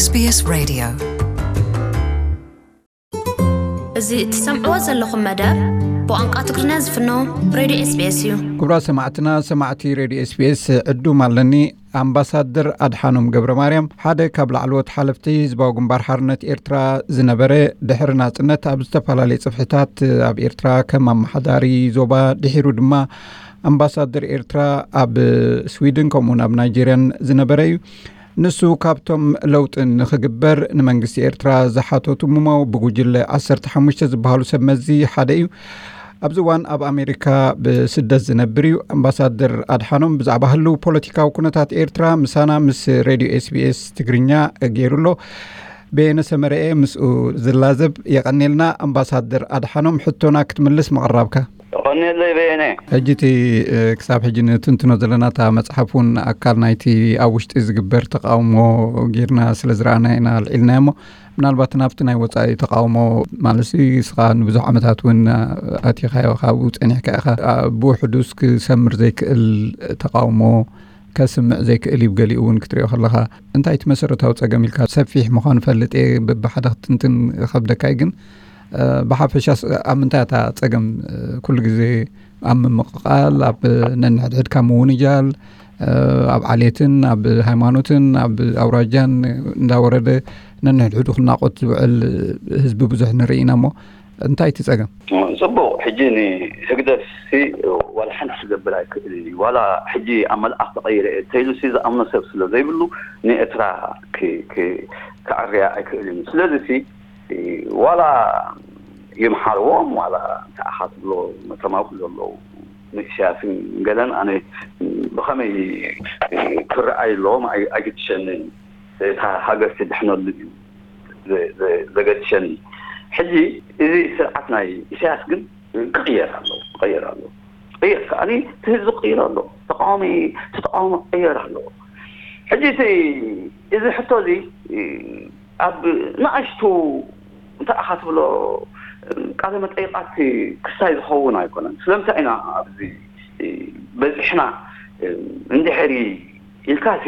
SBS Radio. እዚ እትሰምዕዎ ዘለኹም መደብ ብቋንቋ ትግርኛ ዝፍኖ ሬድዮ ኤስቢኤስ እዩ። ክቡራት ሰማዕትና፣ ሰማዕቲ ሬድዮ ኤስቢኤስ፣ ዕዱም ኣለኒ። ኣምባሳደር ኣድሓኖም ገብረ ማርያም፣ ሓደ ካብ ላዕለዎት ሓለፍቲ ህዝባዊ ግንባር ሓርነት ኤርትራ ዝነበረ፣ ድሕሪ ናጽነት ኣብ ዝተፈላለየ ጽፍሕታት ኣብ ኤርትራ ከም ኣመሓዳሪ ዞባ፣ ድሒሩ ድማ ኣምባሳደር ኤርትራ ኣብ ስዊድን ከምኡውን ኣብ ናይጄርያን ዝነበረ እዩ። ንሱ ካብቶም ለውጢ ንኽግበር ንመንግስቲ ኤርትራ ዝሓተቱ እሞ ብጉጅለ ዓሰርተ ሓሙሽተ ዝበሃሉ ሰብ መዚ ሓደ እዩ። ኣብዚ እዋን ኣብ ኣሜሪካ ብስደት ዝነብር እዩ። ኣምባሳደር ኣድሓኖም ብዛዕባ ህልው ፖለቲካዊ ኩነታት ኤርትራ ምሳና ምስ ሬድዮ ኤስቢኤስ ትግርኛ ገይሩ ኣሎ። በየነ ሰመረኤ ምስኡ ዝላዘብ። የቐኔልና ኣምባሳደር ኣድሓኖም፣ ሕቶና ክትምልስ ምቕራብካ። የቐኔለይ በየነ። ሕጂ እቲ፣ እ፣ ክሳብ ሕጂ ንትንትኖ ዘለና እታ መጽሓፍ እውን ኣካል ናይቲ ኣብ ውሽጢ ዝግበር ተቃውሞ ጌርና ስለ ዝረኣና ኢና ኣልዒልና እሞ፣ ምናልባት ናብቲ ናይ ወጻኢ ተቃውሞ ማለት ንስኻ ንብዙሕ ዓመታት እውን ኣቲኻዮ፣ ካብኡ ጸኒሕካ ኢኻ። ኣ፣ ብውሕዱስ ክሰምር ዘይክእል ተቃውሞ ከስምዕ ዘይክእል እዩ። ገሊኡ እውን ክትሪኦ ከለኻ እንታይ እቲ መሰረታዊ ጸገም ኢልካ ሰፊሕ ምዃኑ ፈልጥ እየ፣ በብሓደ ክትንትን ከብደካ እዩ። ግን፣ እ፣ ብሓፈሻስ ኣብ ምንታይ እታ ጸገም፣ እ፣ ኩሉ ግዜ ኣብ ምምቕቓል፣ ኣብ ነንሕድሕድካ ምውንጃል፣ እ፣ ኣብ ዓሌትን ኣብ ሃይማኖትን ኣብ ኣውራጃን እንዳወረደ ነንሕድሕዱ ክናቖት ዝውዕል ህዝቢ ብዙሕ ንርኢ ኢና እሞ፣ እንታይ እቲ ጸገም? ጽቡቕ። ሕጂ ንህግደፍሲ ዋላ ሓንቲ ክገብር ኣይክእልን እዩ። ዋላ ሕጂ ኣብ መልኣኽ ተቐይረ እየ እንተኢሉሲ ዝኣምኖ ሰብ ስለ ዘይብሉ ንኤርትራ ክ-፣ ክ-፣ ከዐርያ ኣይክእልን እዩ። ስለዚሲ ዋላ ይምሓርዎም፣ ዋላ እንታይ ኢኻ ትብሎ፣ ነቶም ኣብኡ ዘለዉ ንኢሳያስን ገለን ኣነ ብኸመይ ክረኣዩ ኣለዎም ኣይ-፣ ኣይግድሸንን። እታ ሃገር ትድሕነሉ እዩ ዘ-፣ ዘ-፣ ዘገድሸኒ። ሕጂ እዚ ስርዓት ናይ ኢሳያስ ግን ክቕየር ኣለዎ፣ ክቕየር ኣለዎ። ክቕየር ከኣኒ እቲ ህዝቢ ክቕይር ኣለዎ። ተቃዋሚ፣ እቲ ተቃውሞ ክቕየር ኣለዎ። ሕጂ እቲ፣ እዚ ሕቶ እዚ ኣብ ንኣሽቱ እንታይ ኢኻ ትብሎ ቃለ መጠይቃት ክስታይ ዝኸውን ኣይኮነን። ስለምንታይ ኢና ኣብዚ በዚሕና እንድሕሪ ኢልካሲ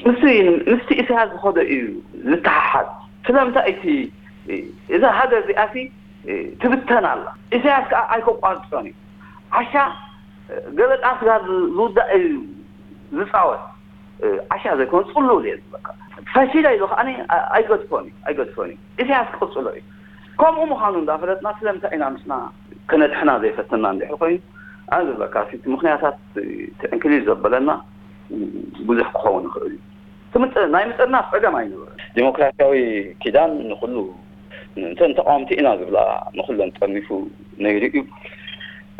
ምስቲ፣ ምስቲ ኢሳያስ ዝኸዶ እዩ ዝተሓሓዝ። ስለምንታይ እቲ፣ እዛ ሃገር እዚኣሲ ትብተን ኣላ። ኢሳያስ ከኣ ኣይከቋርጾን እዩ። ዓሻ ገበጣ ስጋ ዝውዳእ እዩ ዝጻወት። ዓሻ ዘይኮነ ጽሉል እየ ዝብለካ። ፈሺለ ኢሉ ከኣ ኣይገድፎን እዩ፣ ኣይገድፎን እዩ። ኢሳያስ ክቕጽሎ እዩ። ከምኡ ምዃኑ እንዳፈለጥና ስለምንታይ ኢና ንስና ከነድሕና ዘይፈተና እንድሕር ኮይኑ፣ ኣነ ዝብለካ እቲ ምኽንያታት ትዕንክሊል ዘበለና ብዙሕ ክኸውን ይኽእል እዩ። እቲ ምጥ-፣ ናይ ምጥርናፍ ጸገም ኣይነበረን። ዲሞክራሲያዊ ኪዳን ንኹሉ፣ እተን ተቃወምቲ ኢና ዝብላ ንኹለን ጠርኒፉ ነይሩ እዩ።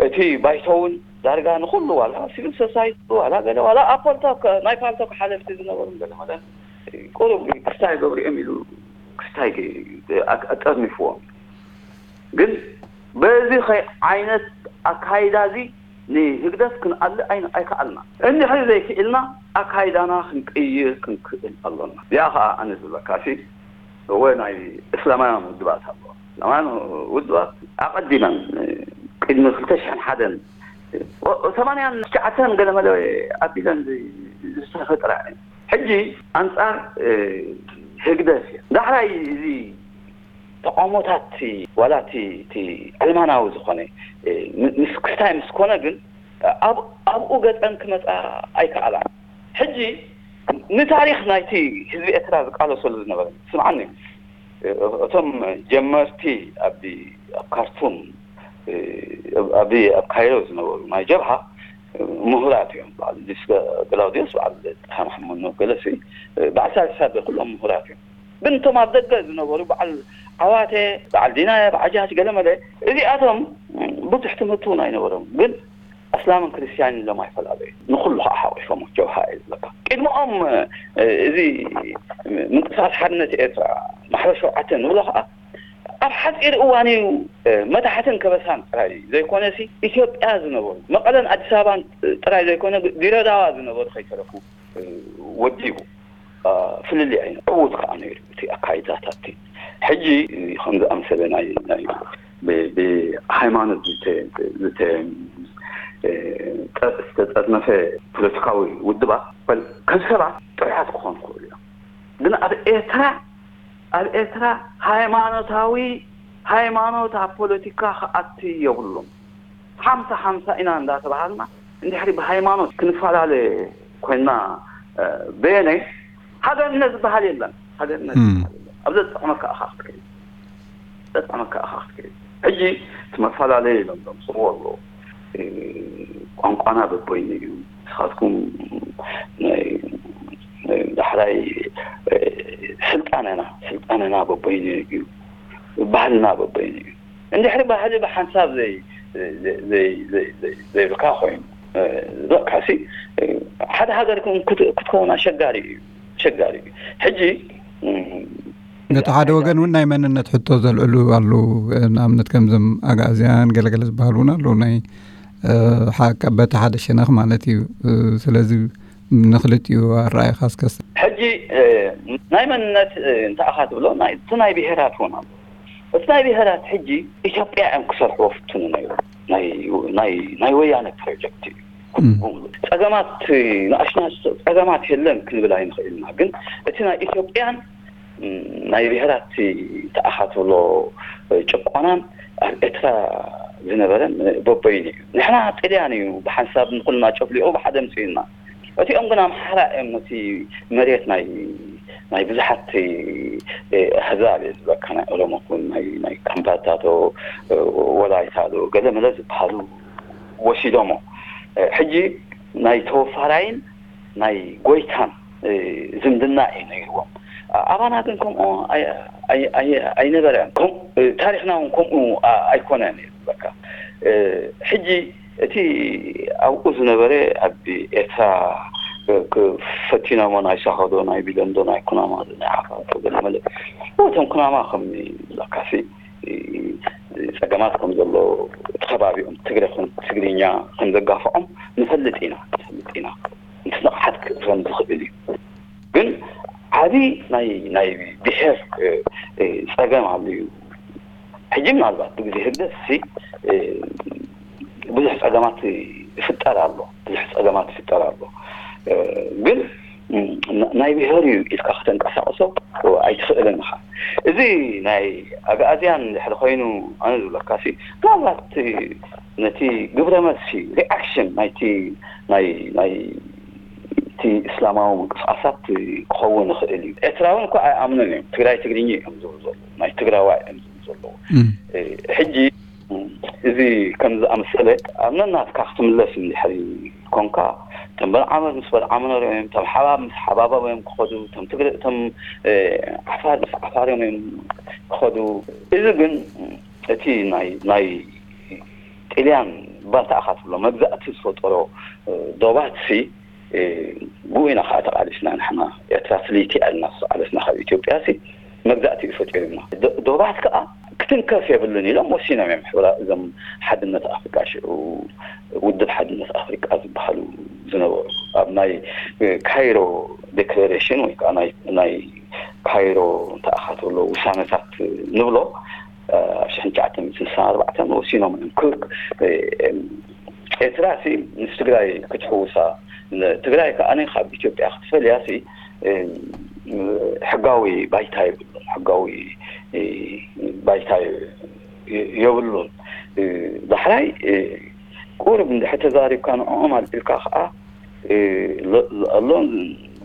እቲ ባይቶ እውን ዳርጋ ንኹሉ፣ ዋላ ሲቪል ሶሳይቲ፣ ዋላ ገለ፣ ዋላ ኣብ ፓልቶክ፣ ናይ ፓልቶክ ሓለፍቲ ዝነበሩ ገለ መለ ቁሩብ ክስታይ ገብሪኦም ኢሉ ክስታይ ኣጠርኒፍዎም። ግን በዚ ኸይ ዓይነት ኣካይዳ እዚ ንህግደፍ ክንኣሊ ኣይን-፣ ኣይከኣልና። እንድሕሪ ዘይክኢልና ኣካይዳና ክንቅይር ክንክእል ኣሎና። እዚኣ ኸኣ ኣነ ዝብለካሲ እወ ናይ እስላማውያን ውድባት ኣለዋ። እስላማውያን ውድባት ኣቐዲመን ቅድሚ ክልተ ሽሕን ሓደን፣ ሰማንያን ትሽዓተን ገለ መለ ኣቢለን ዝተፈጥራ እየን። ሕጂ ኣንጻር ህግደፍ እየን። ዳሕራይ እዚ ተቃውሞታት ዋላ እቲ፣ እቲ ዕልማናዊ ዝኾነ ምስ ክስታይ ምስ ኮነ ግን ኣብ-፣ ኣብኡ ገጸን ክመጻ ኣይከኣላን። ሕጂ ንታሪኽ ናይቲ ህዝቢ ኤርትራ ዝቃለሰሉ ዝነበረ፣ ስምዓኒ፣ እቶም ጀመርቲ ኣብ፣ ኣብ ካርቱም፣ ኣብ፣ ኣብ ካይሮ ዝነበሩ ናይ ጀብሃ ምሁራት እዮም። በዓል ዲስከ-፣ ገላውዲዮስ፣ በዓል ጥሃ መሓመድ፣ ገለሲ፣ በዓል ሳልሳት ኩሎም ምሁራት እዮም። ግን እቶም ኣብ ደገ ዝነበሩ በዓል ዓዋተ፣ በዓል ዲናየ፣ በዓል ጃች፣ ገለመለ፣ እዚኣቶም ብዙሕ ትምህርቲ እውን ኣይነበሮም። ግን ኣስላምን ክርስትያንን ኢሎም ኣይፈላለዩ። ንኹሉ ከዓ ሓቂፎም ጀብሃ እየ ዝብለካ። ቅድሚኦም፣ እ፣ እዚ ምንቅስቃስ ሓርነት ኤርትራ ማሕበር ሸውዓተ ንብሎ ከዓ ኣብ ሓፂር እዋን እዩ፣ እ፣ መታሕትን ከበሳን ጥራይ ዘይኮነሲ ኢትዮጵያ ዝነበሩ መቐለን ኣዲስ ኣበባን ጥራይ ዘይኮነ ድሬዳዋ ዝነበሩ ከይተረፉ፣ እ፣ ወዲቡ። እ፣ ፍልልይ ኣይነ ዕዉት ከዓ ነይሩ እቲ ኣካይዳታት። ሕጂ ከምዚ ኣምሰለ ናይ፣ ናይ ብ-፣ ብሃይማኖት ዝተ-፣ ዝተ-፣ እ፣ ጠ-፣ ዝተጠርነፈ ፖለቲካዊ ውድባት በል ከም ሰባት ጥዑያት ክኾኑ ይኽእሉ እዮም። ግን ኣብ ኤርትራ ኣብ ኤርትራ ሃይማኖታዊ ሃይማኖት ኣብ ፖለቲካ ክኣቲ የብሉን። ሓምሳ ሓምሳ ኢና እንዳተባሃልና እንድሕሪ ብሃይማኖት ክንፈላለ ኮይና በየነይ ሃገርነት ዝበሃል የለን። ሃገርነት ዝበሃል የለን። ኣብ ዘጥዕመካ ኢኻ ክትከይድ ዘጥዕመካ ኢኻ ክትከይድ። ሕጂ እቲ መፈላለየ ኢሎም ዘምፅዎ ኣለዉ። ቋንቋና በበይኑ እዩ። ንስኻትኩም ናይ ዳሕራይ ስልጣነና ስልጣነና በበይኑ እዩ። ባህልና በበይኑ እዩ። እንድሕሪ ባህሊ ብሓንሳብ ዘይብልካ ኮይኑ ዝበቃሲ ሓደ ሃገር ክትከውን ኣሸጋሪ እዩ። ኣሸጋሪ እዩ። ሕጂ ነቲ ሓደ ወገን እውን ናይ መንነት ሕቶ ዘልዕሉ ኣለዉ። ንኣብነት ከምዞም ኣግኣዝያን ገለገለ ዝበሃሉ እውን ኣለዉ። ናይ በቲ ሓደ ሸነኽ ማለት እዩ። ስለዚ ንክልቲኡ ኣረኣይካ እስከ። ሕጂ ናይ መንነት እንታይ ኢኻ ትብሎ? እቲ ናይ ብሄራት እውን ኣሎ። እቲ ናይ ብሄራት ሕጂ ኢትዮጵያ እዮም ክሰርሕዎ ፍትኑ ነይሩ። ናይ ወያነ ፕሮጀክት እዩ። ጸገማት ንኣሽናሽ ጸገማት የለን ክንብል ኣይንኽእልና። ግን እቲ ናይ ኢትዮጵያን ናይ ብሄራት ተኣኻትብሎ ጭቆናን ኣብ ኤርትራ ዝነበረን በበይኑ እዩ። ንሕና ጥልያን እዩ ብሓንሳብ ንኩልና ጨፍሊቑ ብሓደ ምፅኡና። እቲኦም ግን ኣምሓራ እዮም ነቲ መሬት ናይ ናይ ብዙሓት ኣህዛብ እየ ዝበካ ናይ ኦሮሞ ኩን ናይ ናይ ካምባታ ዶ ወላይታ ዶ ገለ መለ ዝበሃሉ ወሲዶሞ። ሕጂ ናይ ተወፋራይን ናይ ጎይታን ዝምድና እዩ ነይርዎም። ኣባና ግን ከምኡ ኣይነበረን። ታሪኽና እውን ከምኡ ኣይኮነን እዩ ዝበካ። ሕጂ እቲ ኣብኡ ዝነበረ ኣብ ኤርትራ ፈቲኖሞ ናይ ሳሆዶ ናይ ቢለንዶ ናይ ኩናማ ናይ ዓፋር ገለ መለ እቶም ኩናማ ከም ለካሲ ጸገማት ከም ዘሎ እቲ ከባቢኦም ትግረ ትግርኛ ከም ዘጋፍዖም ንፈልጥ ኢና ንፈልጥ ኢና። ምስ ንቕሓት ክእረም ዝኽእል እዩ። ግን ዓቢ ናይ ናይ ብሔር ጸገም ኣሎ እዩ። ሕጂ ምናልባት ብግዜ ህግደፍ ሲ ብዙሕ ጸገማት ይፍጠር ኣሎ ብዙሕ ጸገማት ይፍጠር ኣሎ። ግን ናይ ብሔር እዩ ኢልካ ከተንቀሳቕሶ ኣይትኽእልን ኢኻ። እዚ ናይ ኣግኣዝያን ድሕሪ ኮይኑ ኣነ ዝብለካ ሲ ምናልባት ነቲ ግብረ መልሲ ሪኣክሽን ናይቲ ናይ ናይ እቲ እስላማዊ ምንቅስቃሳት ክኸውን ይኽእል እዩ። ኤርትራውን እኮ ኣይኣምኑን እዮም። ትግራይ ትግርኛ እዮም ዝብሉ ዘለዉ ናይ ትግራዋይ እዮም ዝብሉ ዘለዉ። ሕጂ እዚ ከም ዝኣመሰለ ኣብ ነናትካ ክትምለስ እንድሕሪ ኮንካ እቶም በልዓመር ምስ በልዓመር እዮም፣ እቶም ሓባብ ምስ ሓባቦም እዮም ክኸዱ፣ እቶም ትግረ እቶም ዓፋር ምስ ዓፋር እዮም እዮም ክኸዱ። እዚ ግን እቲ ናይ ናይ ጥልያን ባንታ ኢኻ ትብሎ መግዛእቲ ዝፈጠሮ ዶባት ሲ ብኡ ኢና ከዓ ተቃሊስና ንሕና ኤርትራ ፍልይቲ ኣልና ዝተቃለስና ካብ ኢትዮጵያ ሲ መግዛእቲ እዩ ፈጢሩና። ዶባት ከዓ ክትንከፍ የብሉን ኢሎም ወሲኖም እዮም። ሕብራ እዞም ሓድነት ኣፍሪቃ ሽዑ ውድብ ሓድነት ኣፍሪቃ ዝበሃሉ ዝነበሩ ኣብ ናይ ካይሮ ዴክለሬሽን ወይ ከዓ ናይ ካይሮ እንተኣኻተሎ ውሳነታት ንብሎ ኣብ ሽሕን ትሽዓተ ሚእትን ስሳን ኣርባዕተን ወሲኖም እዮም። ክክ ኤርትራ ሲ ምስ ትግራይ ክትሕውሳ ትግራይ ከዓ ካብ ኢትዮጵያ ክትፈልያ ሲ ሕጋዊ ባይታ ይብሉን ሕጋዊ ባይታ የብሉን። ዳሕራይ ቁርብ እንድሕር ተዛሪብካ ንዕኦም ኣልዒልካ ከዓ ኣሎ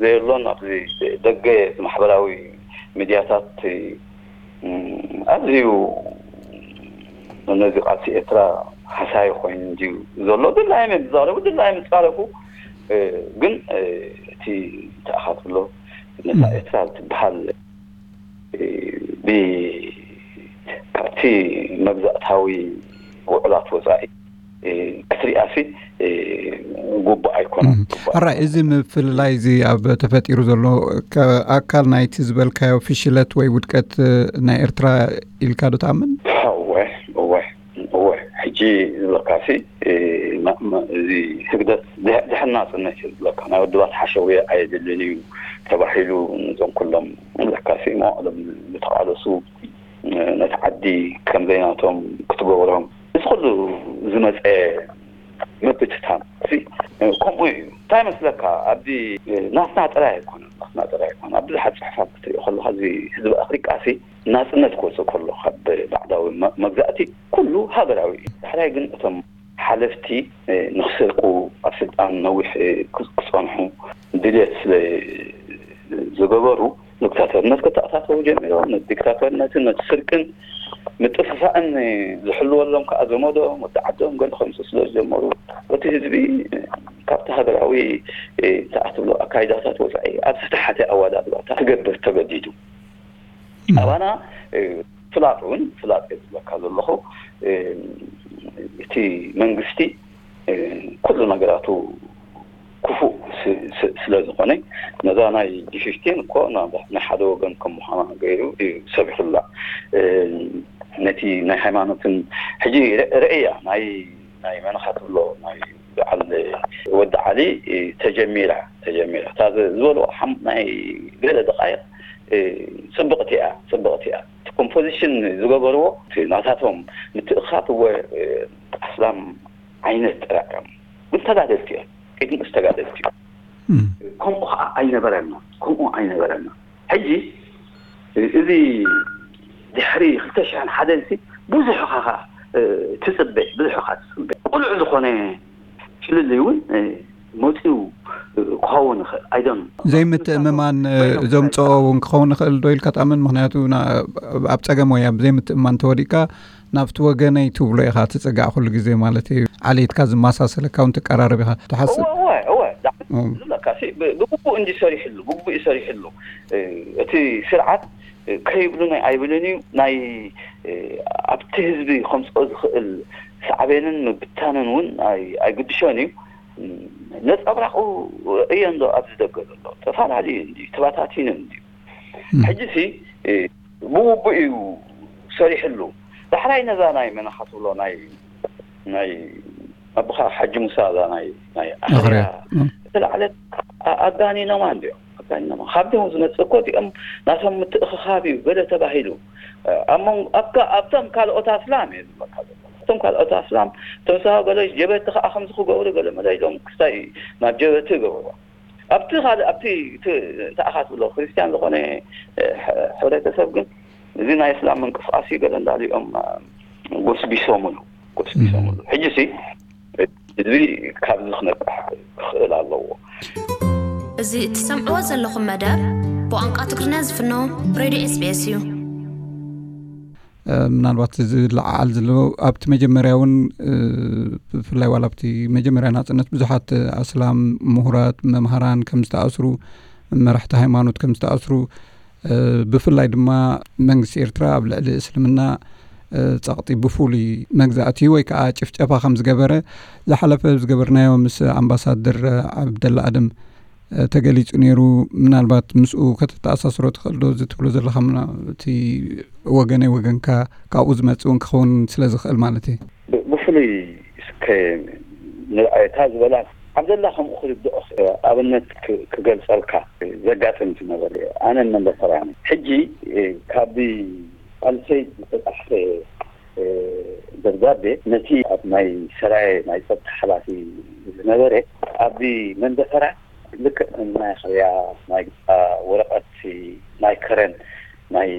ዘየሎን ኣብዚ ደገ ማሕበራዊ ሚድያታት ኣዝዩ ነዚ ቃልሲ ኤርትራ ሓሳይ ኮይኑ እንድዩ ዘሎ። ድላዮም እዮም ዝዛረቡ፣ ድላዮም ይፃረፉ። ግን እቲ ተኣኻትብሎ ነታ ኤርትራ ትበሃል ካብቲ መግዛእታዊ ውዕላት ወፃኢ ክትሪኣሲ ጉቡእ ኣይኮነን። ኣራይ እዚ ምፍልላይ እዚ ኣብ ተፈጢሩ ዘሎ ኣካል ናይቲ ዝበልካዮ ፍሽለት ወይ ውድቀት ናይ ኤርትራ ኢልካ ዶ ትኣምን? እወ እወ እወ ሕጂ ዝበልካሲ እዚ ህግደፍ ድሕና ጽነት እዩ ዝበልካ ናይ ውድባት ሓሸውየ ኣየድልን እዩ ተባሂሉ ነዞም ኩሎም ዝበልካሲ መዋዕሎም ዝተቃለሱ ነቲ ዓዲ ከም ዘይናቶም ክትገብሮም እዚ ኩሉ ዝመፀ ምብትታን ከምኡ እዩ። እንታይ መስለካ ኣብዚ ናትና ጥራይ ኣይኮነን ናትና ጥራይ ኣይኮነን ኣብ ብዙሓት ጽሑፋት ክትሪኦ ከለኻ፣ እዚ ህዝቢ ኣፍሪቃ ሲ ናጽነት ክወጽእ ከሎ ካብ ባዕዳዊ መ-፣ መግዛእቲ ኩሉ ሃገራዊ እዩ። ዳሕራይ ግን እቶም ሓለፍቲ፣ እ፣ ንኽስርቁ፣ ኣብ ስልጣን ነዊሕ፣ እ፣ ክጽ-፣ ክጸንሑ ድልየት ስለ ዝገበሩ፣ ዲክታተርነት ከተኣታተው ጀሚሮም። ነቲ ዲክታተርነትን ነቲ ስርቅን ምጥፍፋእን ዝሕልወሎም ከኣ ዘመዶም፣ ወዲ ዓዶም ገለ ከምጽኡ ስለ ዝጀመሩ፣ እቲ ህዝቢ ካብቲ ሃገራዊ፣ እ፣ እንታይ ትብሎ ኣካይዳታት ወጻኢ ኣብ ዝተሓተ ኣወዳድባታት ክገብር ተገዲዱ። ኣባና፣ እ፣ ፍላጥ እውን፣ ፍላጥ እየ ዝብለካ ዘለኹ፣ እ፣ እቲ መንግስቲ፣ እ፣ ኩሉ ነገራቱ ክፉእ ስ-፣ ስ-፣ ስለ ዝኾነ፣ ነዛ ናይ ጂ ፊፍቲን እኮ ናብ ናይ ሓደ ወገን ከም ምዃና ገይሩ እዩ ሰቢኹላ። እ፣ ነቲ ናይ ሃይማኖትን ሕጂ ር-፣ ርእያ ናይ፣ ናይ መን ኢኻ ትብሎ፣ ናይ በዓል ወዲ ዓሊ፣ እ፣ ተጀሚራ፣ ተጀሚራ። እታ ዝ-፣ ዝበልዎ ሓም-፣ ናይ ገለ ደቃይቕ፣ እ፣ ጽብቕቲ እያ፣ ጽብቕቲ እያ። እቲ ኮምፖዚሽን ዝገበርዎ፣ እቲ ናታቶም ምትእኻብ እወ፣ እ፣ ኣስላም ዓይነት ጥራሕ እዮም። ግን ተጋደልቲ እዮም። ኢድ ንእስ ተጋደልቲ እዮም። እም። ከምኡ ኸዓ ኣይነበረና፣ ከምኡ ኣይነበረና። ሕጂ እዚ ድሕሪ ክልተ ሽሕን ሓደን ሲ ብዙሕ ኻኻ፣ እ፣ ትጽበ፣ ብዙሕ ኻ ትጽበ። ቁሉዕ ዝኾነ ፍልልይ እውን፣ እ፣ መጺኡ፣ እ፣ ክኸውን ይኽእል። ኣይደን ዘይምትእምማን፣ እ፣ በይኖም ዘምጽኦ እውን ክኸውን ይኽእል ዶ ኢልካ ትኣምን? ምኽንያቱ ና-፣ ኣብ ጸገም ወይ ኣብ ዘይምትእምማን ተወዲእካ ናብቲ ወገነይ ትብሎ ኢኻ ትጽጋዕ ኩሉ ግዜ ማለት እዩ። ዓሌትካ ዝመሳሰለካ እውን ትቀራረብ ኢኻ ትሓስብ። እወ፣ እወ፣ እወ። ዳ-፣ እም። ዝብለካ ሲ፣ ብ-፣ ብግቡእ እንጂ ሰሪሕሉ፣ ብግቡእ እዩ ሰሪሕሉ። እ፣ እቲ ስርዓት፣ እ፣ ከይብሉን ኣይብልን እዩ። ናይ፣ እ፣ ኣብቲ ህዝቢ ከምጽኦ ዝኽእል ሳዕቤንን ምብታንን እውን ኣይ-፣ ኣይግድሾን እዩ። እም፣ ነጸብራቑ እየ እንዶ ኣብዚ ደገ ዘሎ። ተፈላለዩ እንዲ፣ ተባታቲኑ እንዲ። እም። ሕጂ ሲ፣ እ፣ ብውቡእ እዩ ሰሪሕሉ። ዳሕራይ ነዛ ናይ መን ኢኻ ትብሎ ናይ፣ ናይ ኣቦኻ ሓጂ ሙሳ እዛ ናይ፣ ናይ ኣኽርያ ኣኽርያ። እም። ዝተላዕለት ኣ-፣ ኣጋኒኖማ እንዲኦም። ኣጋኒኖማ። ካብ ድሆም ዝመጽእ እኮ እዚኦም ናቶም ምትእኽኻብ እዩ ገለ ተባሂሉ። እ፣ ኣብ መንጎ-፣ ኣብ ካ-፣ ኣብቶም ካልኦት ኣስላም እየ ዝብለካ ዘሎ። እቶም ካልኦት ኣስላም ተምሳሆ ገለ ጀበቲ ከኣ ከምዚ ክገብሩ ገለ መለ ኢሎም ክስታይ ናብ ጀበቲ ይገብርዎ። ኣብቲ ካልእ፣ ኣብቲ እቲ፣ እንታይ ኢኻ ትብሎ፣ ክርስትያን ዝኾነ፣ እ፣ ሕ-፣ ሕብረተሰብ ግን እዚ ናይ እስላም ምንቅስቃስ እዩ ገለ እንዳሊኦም፣ እ፣ ጎስቢሶምሉ፣ ጎስቢሶምሉ። ሕጂ ሲ ህዝቢ ካብዚ ክነቅሕ ክኽእል ኣለዎ። እዚ እትሰምዕዎ ዘለኹም መደብ ብቋንቋ ትግርኛ ዝፍኖ ሬድዮ ኤስ ቢ ኤስ እዩ። እ፣ ምናልባት እዚ ዝለዓል ዘሎ ኣብቲ መጀመርያ እውን፣ እ፣ ብፍላይ ዋላ ኣብቲ መጀመርያ ናጽነት ብዙሓት ኣስላም ምሁራት፣ መምሃራን ከም ዝተኣስሩ፣ መራሕቲ ሃይማኖት ከም ዝተኣስሩ፣ እ፣ ብፍላይ ድማ መንግስቲ ኤርትራ ኣብ ልዕሊ እስልምና፣ እ፣ ጸቕጢ ብፍሉይ መግዛእቲ ወይ ከዓ ጭፍጨፋ ከም ዝገበረ ዝሓለፈ ዝገበርናዮ ምስ ኣምባሳደር ዓብደላ ኣደም እ፣ ተገሊጹ ነይሩ። ምናልባት ምስኡ ከተተኣሳስሮ ትኽእል ዶ? እዚ ትብሎ ዘለኻ ምና-፣ እቲ ወገነይ ወገንካ ካብኡ ዝመጽእ እውን ክኸውን ስለ ዝኽእል ማለት እዩ። ብ-፣ ብፍሉይ እስከ ንርኣየታ ዝበላ ዓብደላ ከምኡ ክርድኦ ኽ-፣ ኣብነት ክ-፣ ክገልጸልካ ዘጋጥም ዝነበረ ኣነ መንደፈራኒ። ሕጂ፣ እ፣ ካብ ኣልሰይድ ዝተጻሕፈ፣ እ፣ ደብዳቤ ነቲ ኣብ ናይ ሰራየ ናይ ጸጥታ ሓላፊ ዝነበረ ኣብ መንደፈራ ልክዕ ናይ ኣኽርያ፣ ናይ፣ አ፣ ወረቐት፣ ናይ ከረን፣ ናይ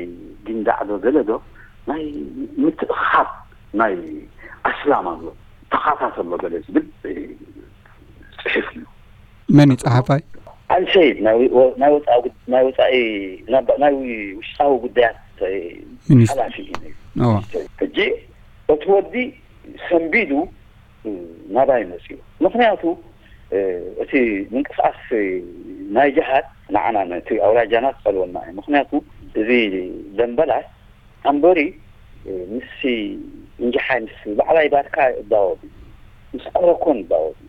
ጊንዳዕ ዶ ገለ ዶ፣ ናይ ምትእኽኻብ ናይ ኣስላም ኣሎ፣ ተኻታት ኣሎ ገለ ዝብል፣ እ፣ ጽሑፍ እዩ። መን እዩ ጸሓፋይ? ኣልሰይድ፣ ናይ ወ-፣ ናይ ወጻኢ ጉድ-፣ ናይ ወጻኢ፣ ናይ፣ ናይ ውሽጣዊ ጉዳያት፣ እ፣ ሚኒስትር። ሓላፊ እዩ ነይሩ። እዎ። ሕጂ እቲ ወዲ ሰንቢዱ ናባይ መጽኡ። ምኽንያቱ፣ እ፣ እቲ ምንቅስቃስ ናይ ጅሃድ ንዓና ነቲ ኣውራጃና ክጸልወና እዩ። ምኽንያቱ እዚ ደምበላስ ኣምበሪ፣ እ፣ ምስሲ እንጀሓይ ምስ ባዕላይ ባርካ ይዳወብ እዩ። ምስ ኮረኮን ይዳወብ እዩ።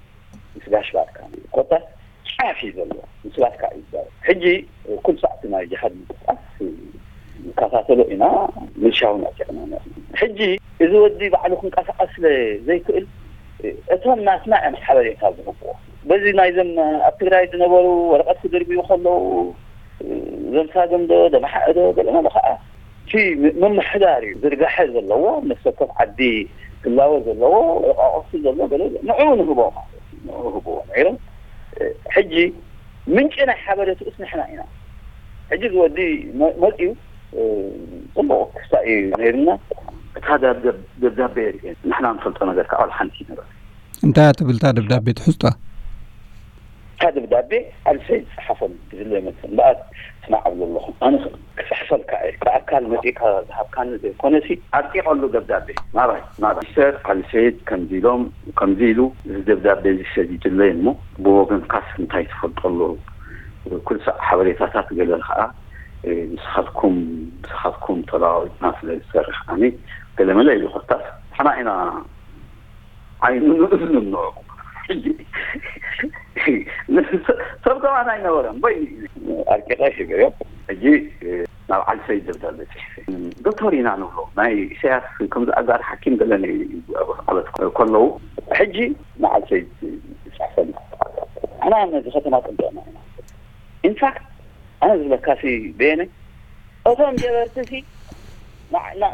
ምስ ጋሽ ባርካ ኮታ ጫፍ እዩ ዘሎ። ምስ ባርካ እዩ ይዳወብ። ሕጂ ኩሉ ሰዓት ናይ ጅሃድ ምንቅስቃስ ንከታተሎ ኢና፣ ምልሻውን ኣዕጢቕና ኢና። ሕጂ እዚ ወዲ ባዕሉ ክንቀሳቐስ ስለ ዘይክእል፣ እቶም ናትና እዮም ሓበሬታ ዝህብዎ። በዚ ናይዞም ኣብ ትግራይ ዝነበሩ ወረቐት ክድርብዩ ከለዉ፣ ዘምሳግም ዶ፣ ደመሓ ዶ፣ ገለ መለ ከዓ እቲ ም-፣ ምምሕዳር እዩ ዝርጋሐ ዘለዎ፣ ነፍሲ ወከፍ ዓዲ ክላወ ዘለዎ፣ ወረቓቕቲ ዘሎ፣ ገለ ንዕኡ ንህቦ ማለት እዩ። ንዕኡ ህብዎ ነይሮም። ሕጂ ምንጪ ናይ ሓበሬትኡስ ንሕና ኢና። እዚ ወዲ መ- መፂኡ እ፣ ፅቡቅ ክስታይ እዩ ነይርና። እታ ደብ- ደብ- ደብዳቤ ርኤ ንሕና ንፈልጦ ነገር ከዓ ዋላ ሓንቲ ነገር እንታይ እያ ትብል እታ ደብዳቤ ትሕዝቶ? እታ ደብዳቤ ኣልሰይ ዝፅሓፈሉ ዝለ ይመስል እምበኣር ስማዕ ኣብሎ ኣለኹ። ኣነ ክፅሕፈልካ እየ። ብኣካል መፂእካ ዝሃብካኒ ዘይኮነሲ ኣርቂቐሉ ደብዳቤ ናባይ ናባይ ሚስተር ኣልሰይድ ከምዚ ኢሎም ከምዚ ኢሉ እዚ ደብዳቤ እዚ ሰዲድለይ እሞ ብወገንካስ እንታይ ትፈልጦ ኣሎ? ኩልሳዕ ሓበሬታታት ገለ ከዓ ንስኻትኩም ንስኻትኩም ተለዋዊጥና ስለ ዝሰርሕ ኣነ ገለመለ ኢሉ ኮታስ ንሕና ኢና ዓይኑ ንእዝኑ ንዕኡ ሕጂ ሰብ ከማን ኣይነበረን ወይ ኣርቂቐ ሂበዮ። ሕጂ ናብ ዓልሰይ ደብዳቤ ፅሒፈ ዶክተር ኢና ንብሎ ናይ ኢሳያስ ከምዚ ኣጋር ሓኪም ገለ ኣበት ከለዉ ሕጂ ንዓልሰይ ዝፅሕፈሉ ኣና ነዚ ከተማ ፅንጠና ኢና ኢንፋክት ኣነ ዝብለካሲ በየነ እቶም ጀበርትሲ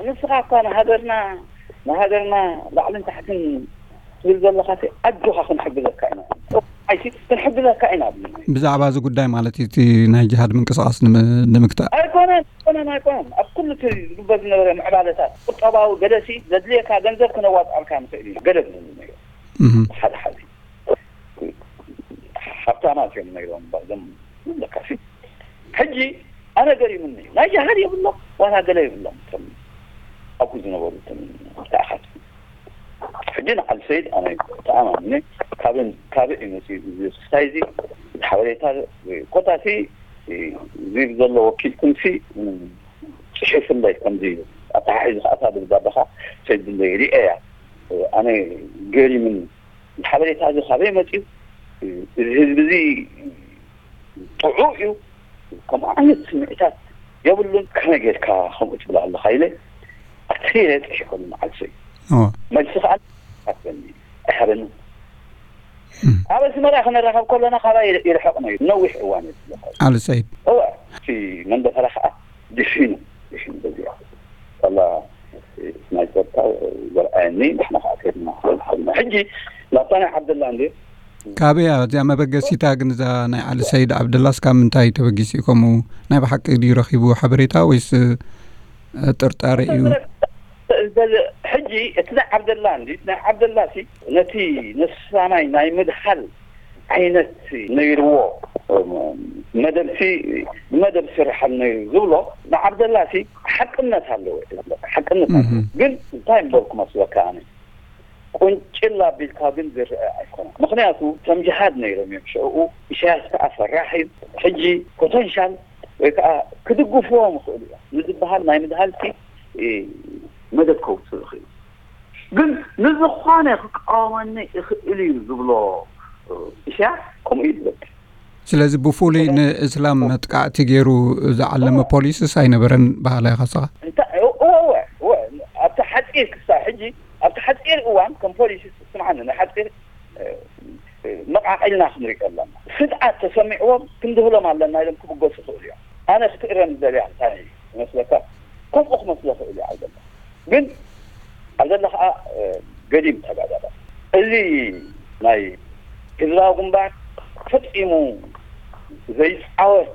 ንስኻ እኳ ንሃገርና ንሃገርና ላዕልን ታሕትን ትብል ዘለኻሲ ኣጆኻ ክንሕግዘካ ኢና ኣይሲ ክንሕግዘካ ኢና ብዛዕባ እዚ ጉዳይ ማለት እዩ እቲ ናይ ጅሃድ ምንቅስቃስ ንምግታእ ኣይኮነን ኣይኮነን ኣይኮነን ኣብ ኩሉ እቲ ዝግበር ዝነበረ ምዕባለታት ቁጠባዊ ገለሲ ዘድልየካ ገንዘብ ክነዋፅኣልካ ንኽእል ኢና ገለ ዝብሉ ሓደ ሓደ ሃብታማት እዮም ነይሮም እምበር እዞም ለካሲ ሕጂ ኣነ ገሪሙኒ እዩ ናይ ጃሃድ የብሎም ዋላ ገለ የብሎም እቶም ኣብኡ ዝነበሩ እቶም ተኣኻት ሕጂ ንዓል ሰይድ ኣነ ተኣማምነ ካበን ካበ እዩ መፅኡ እዚ ክስታይ እዚ ሓበሬታ ኮታሲ ዝብል ዘሎ ወኪልኩም ሲ ፅሒፉለይ ከምዚ እዩ ኣተሓሒዙ ከኣታ ብዛባኻ ሰይድ ብለይ ሪኤያ ኣነ ገሪምኒ ሓበሬታ እዚ ካበይ መፅኡ እዚ ህዝቢ እዚ ጥዑ እዩ ከምኡ ዓይነት ስምዒታት የብሉን ከመይ ጌርካ ከምኡ ትብላ ኣለካ ኢለ ኣትሪረ ፅሒፈሉ ንዓልሰይ መልሲ ከዓ ኣትበኒ ኣይሃበኒ ኣብ ኣስመራ ክነራኸብ ከለና ካባይ ይርሕቕ ነዩ ነዊሕ እዋን እዩ ኣልሰይድ እወ እቲ መንደፈራ ከዓ ድሒኑ ድሒኑ በዚያ ዋላ ናይ ጸጥታ ዘርኣየኒ ንሕና ከዓ ከድና ሓልና ሕጂ ናብታ ናይ ዓብደላ እንዲ ካበያ እዚኣ መበገሲታ ግን እዛ ናይ ዓሊ ሰይድ ዓብደላስ ካብ ምንታይ ተበጊሱ እዩ ከምኡ ናይ ብሓቂ ድዩ ረኺቡ ሓበሬታ ወይስ ጥርጣረ እዩ ሕጂ እቲ ናይ ዓብደላ እንዲ ናይ ዓብደላ ሲ ነቲ ነሳናይ ናይ ምድሃል ዓይነት ነይርዎ መደብሲ ብመደብ ስርሓል ነይሩ ዝብሎ ንዓብደላሲ ሓቅነት ኣለዎ ሓቅነት ኣለዎ ግን እንታይ እምበልኩ መስለካ ኣነ ቁንጭል ኣቢልካ ግን ዝረአ ኣይኮነን ምክንያቱ ከም ጅሃድ ነይሮም እዮም ሽዕኡ ኢሳያስ ከዓ ፈራሕ እዩ ሕጂ ፖተንሻል ወይ ከዓ ክድግፍዎም ይኽእሉ እዮም ንዝበሃል ናይ ምድሃልሲ መደብ ከውፅእ ይኽእሉ ግን ንዝኾነ ክቃወመኒ ይኽእል እዩ ዝብሎ ኢሳያስ ከምኡ እዩ ዝብል ስለዚ ብፍሉይ ንእስላም መጥቃዕቲ ገይሩ ዝዓለመ ፖሊስስ ኣይነበረን በሃላይ ካስኻ ኣብቲ ሓፂር ክሳብ ሕጂ ኣብቲ ሓፂር እዋን ከም ፖሊሲ ስምዓኒ ናይ ሓፂር መቃቂልና ክንሪኦ ኣለና ስድዓት ተሰሚዕዎም ክንድህሎም ኣለና ኢሎም ክብገሱ ይኽእሉ እዮም ኣነ ክትእረም ዝደልያ እንታይ ይመስለካ ከምኡ ክመስሎ ክእል እዩ ዓብደላ ግን ዓብደላ ከዓ ገዲም ተጋዳላ እዚ ናይ ህዝባዊ ግንባር ፈፂሙ ዘይፃወት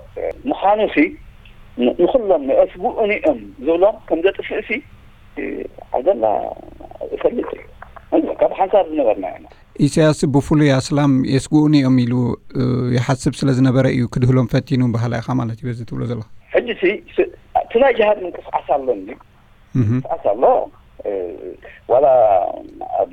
ምዃኑ ሲ ንኩሎም የስግኡኒ እዮም ዝብሎም ከም ዘጥፍእ ሲ ዓብደላ እፈልጥ እዩ ካብ ሓንሳብ ዝነበርና ኢና ኢሳያስ ብፍሉይ ኣስላም የስግኡኒ እዮም ኢሉ ይሓስብ ስለ ዝነበረ እዩ ክድህሎም ፈቲኑ በሃላ ኢኻ ማለት እዩ በዚ ትብሎ ዘለኻ ሕጂ ሲ እቲ ናይ ጅሃድ ምንቅስቃስ ኣሎ እንዲ ምንቅስቃስ ኣሎ ዋላ ኣብ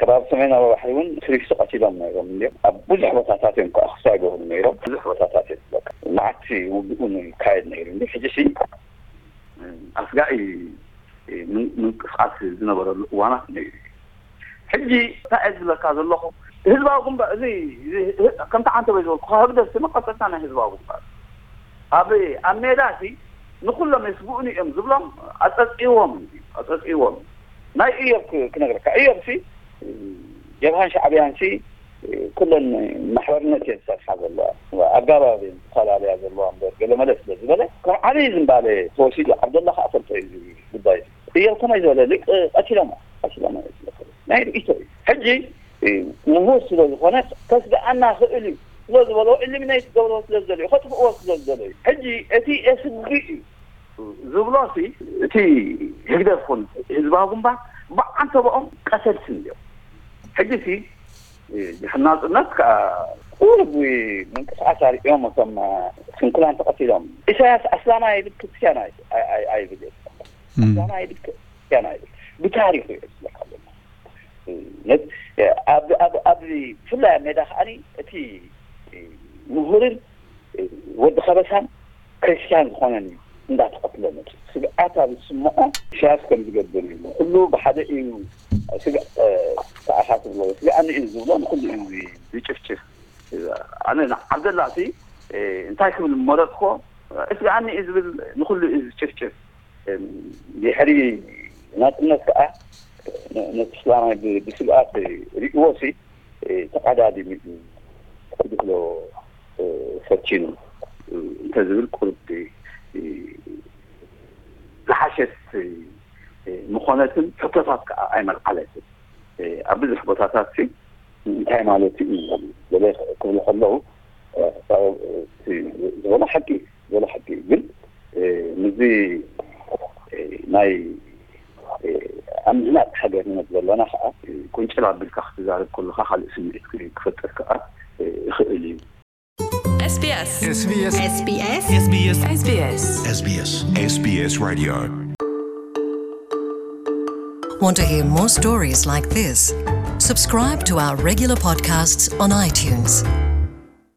ከባቢ ሰሜናዊ ባሕሪ እውን ክሪስቲ ቀቲሎም ነይሮም እንዲም ኣብ ብዙሕ ቦታታት እዮም ከዓ ክሳ ይገብሩ ነይሮም ብዙሕ ቦታታት እዮም በቃ መዓት ውግኡን ይካየድ ነይሩ እንዲ ሕጂ ሲ ኣስጋኢ ምንቅስቃስ ዝነበረሉ እዋናት ነይሩ እዩ ሕጂ እንታይ እየ ዝብለካ ዘለኹ ህዝባዊ ግንባር እዚ ከምቲ ዓንተ ወይ ዝበልኩ ህግደፍ መቀፀልታ ናይ ህዝባዊ ግንባር ኣብ ኣብ ሜዳ ሲ ንኩሎም የስግኡኒ እዮም ዝብሎም ኣፀፂዎም ኣፀፂዎም ናይ እዮብ ክነግረካ እዮብ ሲ ጀብሃን ሻዕብያን ሲ ኩለን ማሕበርነት እየን ዝሰርሓ ዘለዋ ኣጋባብ እየን ዝፈላለያ ዘለዋ እምበር ገለ መለ ስለ ዝበለ ካብ ዓብዪ ዝምባለ ተወሲዱ ዓብደላ ከዓ ፈልጦ እዩ ጉዳይ እዮብ ከመይ ዝበለ ሊቅ ቀቲሎሞ ቀቲሎሞ ናይ ርእቶ እዩ ሕጂ ምሁር ስለ ዝኾነ ከስግኣና ክእል እዩ ስለ ዝበሎ ኢሊሚኔት ገብሮ ስለ ዝደለዩ ከጥፍእዎ ስለ ዝደለዩ ሕጂ እቲ ኤስዲ እዩ ዝብሎ ሲ እቲ ህግደፍ ኹን ህዝባዊ ግንባር ብዓንተብኦም ቀተልቲ እዮም። ሕጂ ሲ ድሕሪ ናጽነት ከዓ ቁሩብ ምንቅስቃስ ኣርእዮም እቶም ስንኩላን ተቐቲሎም። ኢሳያስ ኣስላማይ ይብል ክርስትያን ኣይ- ኣይ- ኣይ- ኣይብል ኣስላማይ ይብል ክርስትያን ኣይብል ብታሪኹ እዩ ዝብለካ ዘሎ። ኣብ ኣብ ኣብ ብፍላይ ኣብ ሜዳ ከዓኒ እቲ ምሁርን ወዲ ከበሳን ክርስትያን ዝኾነን እዩ እንዳተቐትለ መፅኡ። ስግኣት ኣብ ዝስምዖ ኢሳያስ ከም ዝገብር እዩ። ኩሉ ብሓደ እዩ። ስግኣት ተኣኻት ብሎ ስግኣኒ እዩ ዝብሎ ንኩሉ እዩ ዝጭፍጭፍ። ኣነ ንዓብደላ ሲ እንታይ ክብል መረፅኮ? ስግኣኒ እዩ ዝብል ንኩሉ እዩ ዝጭፍጭፍ። ድሕሪ ናፅነት ከዓ ነቲ ስላማይ ብስግኣት ሪእዎ ሲ ተቐዳዲሙ እዩ ክድሎ ፈቲኑ እንተዝብል ቁርብ ዝሓሸት ምኾነትን ሕቶታት ከዓ ኣይመልዓለትን። ኣብ ብዙሕ ቦታታት ሲ እንታይ ማለት እዩ ገለ ክብሉ ከለዉ ዝበሎ ሓቂ ዝበሎ ሓቂ እዩ። ግን ምስዚ ናይ ኣብ ምህናፅ ሃገርነት ዘለና ከዓ ቁንጭል ኣቢልካ ክትዛረብ ከለካ ካልእ ስምዒት ክፈጥር ከዓ ይኽእል እዩ። SBS SBS SBS SBS SBS SBS SBS Radio. Want to hear more stories like this? Subscribe to our regular podcasts on iTunes.